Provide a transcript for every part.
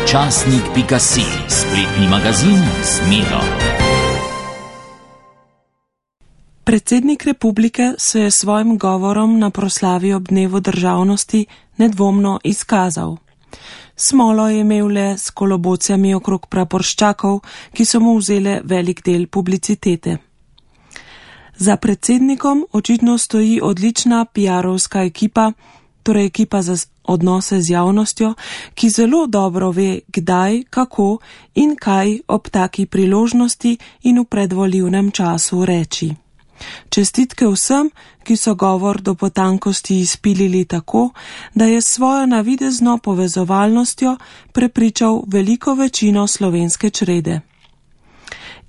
Časnik.si, spletni magazin z Miro. Predsednik republike se je svojim govorom na proslavi ob dnevu državnosti nedvomno izkazal. Smolo je imel le s kolobocijami okrog praporščakov, ki so mu vzele velik del publicitete. Za predsednikom očitno stoji odlična PR-ovska ekipa, torej ekipa za odnose z javnostjo, ki zelo dobro ve, kdaj, kako in kaj ob taki priložnosti in v predvolilnem času reči. Čestitke vsem, ki so govor do potankosti izpilili tako, da je s svojo navidezno povezovalnostjo prepričal veliko večino slovenske črede.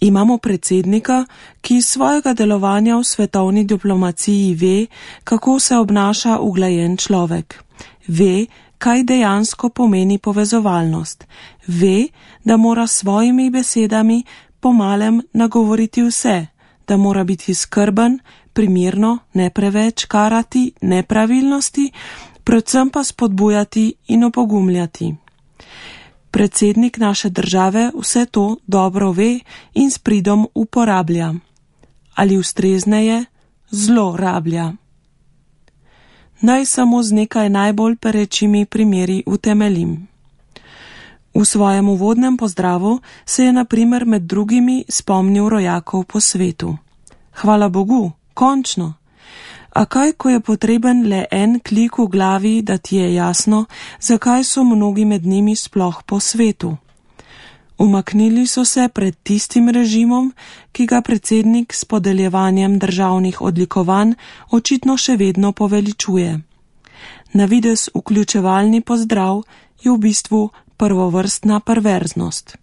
Imamo predsednika, ki iz svojega delovanja v svetovni diplomaciji ve, kako se obnaša uglajen človek. Ve, kaj dejansko pomeni povezovalnost. Ve, da mora s svojimi besedami pomalem nagovoriti vse, da mora biti skrben, primirno, ne preveč karati nepravilnosti, predvsem pa spodbujati in opogumljati. Predsednik naše države vse to dobro ve in s pridom uporablja. Ali ustrezneje, zlorablja. Naj samo z nekaj najbolj perečimi primeri utemeljim. V svojem uvodnem pozdravu se je na primer med drugimi spomnil rojakov po svetu. Hvala Bogu, končno! A kaj, ko je potreben le en klik v glavi, da ti je jasno, zakaj so mnogi med njimi sploh po svetu? Umaknili so se pred tistim režimom, ki ga predsednik s podeljevanjem državnih odlikovanj očitno še vedno poveličuje. Navidez vključevalni pozdrav je v bistvu prvovrstna perverznost.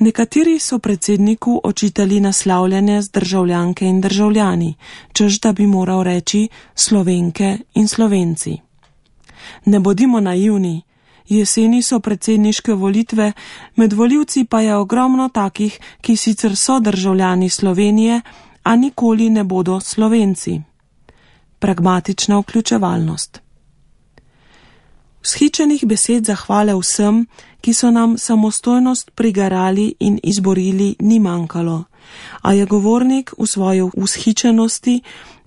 Nekateri so predsedniku očitali naslavljanje z državljanke in državljani, češ da bi moral reči Slovenke in Slovenci. Ne bodimo naivni, jeseni so predsedniške volitve, med volivci pa je ogromno takih, ki sicer so državljani Slovenije, a nikoli ne bodo Slovenci. Pragmatična vključevalnost. Vzhičenih besed zahvale vsem, ki so nam samostojnost prigarali in izborili, ni manjkalo, a je govornik v svoji vzhičenosti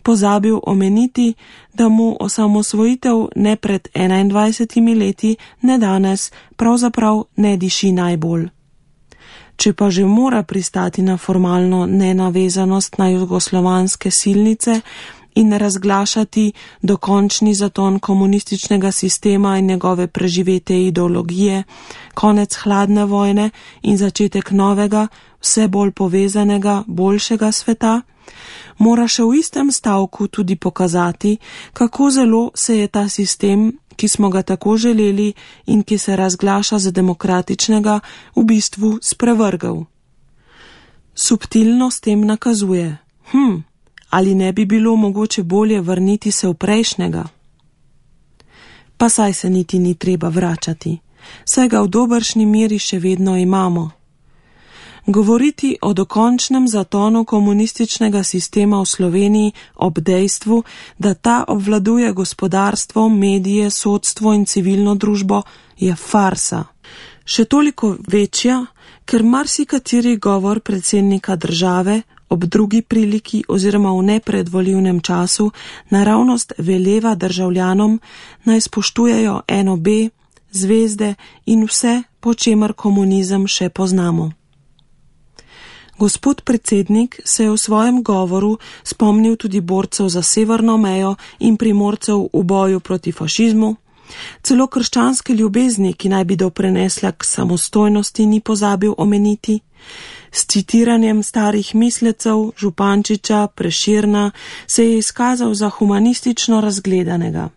pozabil omeniti, da mu osamosvojitev ne pred 21 leti, ne danes, pravzaprav ne diši najbolj. Če pa že mora pristati na formalno nenavezanost na jugoslovanske silnice in razglašati dokončni zaton komunističnega sistema in njegove preživete ideologije, konec hladne vojne in začetek novega, vse bolj povezanega, boljšega sveta, mora še v istem stavku tudi pokazati, kako zelo se je ta sistem, ki smo ga tako želeli in ki se razglaša za demokratičnega, v bistvu sprevrgel. Subtilno s tem nakazuje, ali ne bi bilo mogoče bolje vrniti se v prejšnjega? Pa saj se niti ni treba vračati, saj ga v dobršni meri še vedno imamo. Govoriti o dokončnem zatonu komunističnega sistema v Sloveniji ob dejstvu, da ta obvladuje gospodarstvo, medije, sodstvo in civilno družbo, je farsa. Še toliko večja, ker marsikateri govor predsednika države ob drugi priliki oziroma v nepredvolilnem času naravnost veleva državljanom, naj spoštujejo NOB, zvezde in vse, po čemer komunizem še poznamo. Gospod predsednik se je v svojem govoru spomnil tudi borcev za severno mejo in primorcev v boju proti fašizmu, celo krščanske ljubezni, ki naj bi doprinesla k samostojnosti, ni pozabil omeniti, s citiranjem starih mislecev Župančiča, Prešerna se je izkazal za humanistično razgledanega.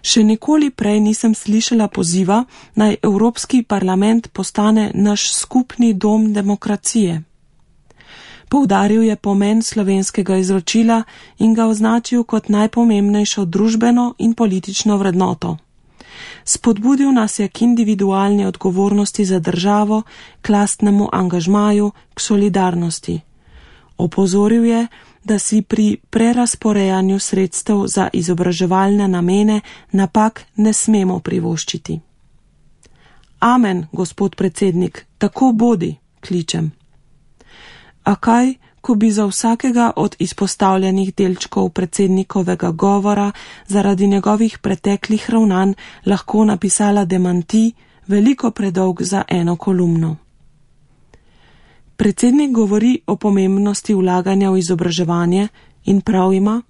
Še nikoli prej nisem slišala poziva, naj Evropski parlament postane naš skupni dom demokracije. Poudaril je pomen slovenskega izročila in ga označil kot najpomembnejšo družbeno in politično vrednoto. Spodbudil nas je k individualni odgovornosti za državo, k lastnemu angažmaju, k solidarnosti. Opozoril je, da si pri prerasporejanju sredstev za izobraževalne namene napak ne smemo privoščiti. Amen, gospod predsednik, tako bodi, kličem. A kaj, ko bi za vsakega od izpostavljenih delčkov predsednikovega govora zaradi njegovih preteklih ravnanj lahko napisala demanti, veliko predolg za eno kolumno. Predsednik govori o pomembnosti vlaganja v izobraževanje in prav ima,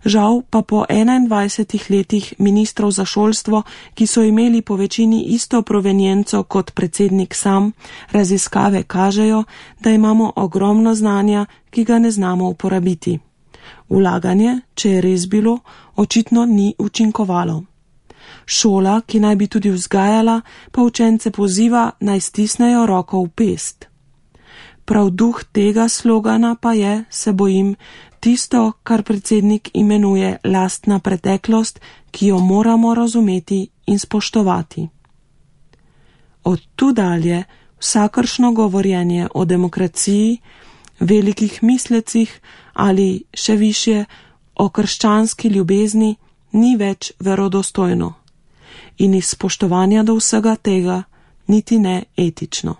žal pa po 21 letih ministrov za šolstvo, ki so imeli po večini isto provenienco kot predsednik sam, raziskave kažejo, da imamo ogromno znanja, ki ga ne znamo uporabiti. Vlaganje, če je res bilo, očitno ni učinkovalo. Šola, ki naj bi tudi vzgajala, pa učence poziva, naj stisnejo roko v pest. Prav duh tega slogana pa je, se bojim, tisto, kar predsednik imenuje lastna preteklost, ki jo moramo razumeti in spoštovati. Od tu dalje vsakršno govorjenje o demokraciji, velikih mislecih ali še višje o krščanski ljubezni ni več verodostojno in iz spoštovanja do vsega tega niti ne etično.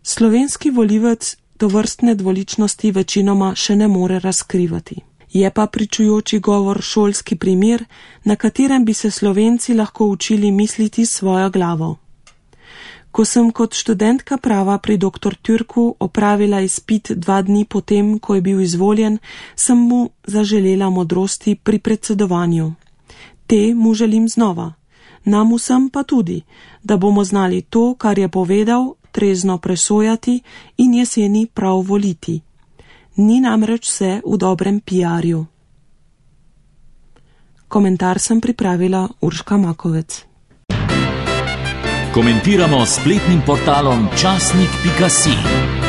Slovenski volivec tovrstne dvoličnosti večinoma še ne more razkrivati. Je pa pričujoči govor šolski primer, na katerem bi se Slovenci lahko učili misliti s svojo glavo. Ko sem kot študentka prava pri dr. Türku opravila izpit 2 dni potem, ko je bil izvoljen, sem mu zaželela modrosti pri predsedovanju. Te mu želim znova, nam vsem pa tudi, da bomo znali to, kar je povedal, trezno presojati in jeseni prav voliti. Ni namreč vse v dobrem PR-ju. Komentar sem pripravila Urška Makovec. Komentiramo s spletnim portalom časnik.si.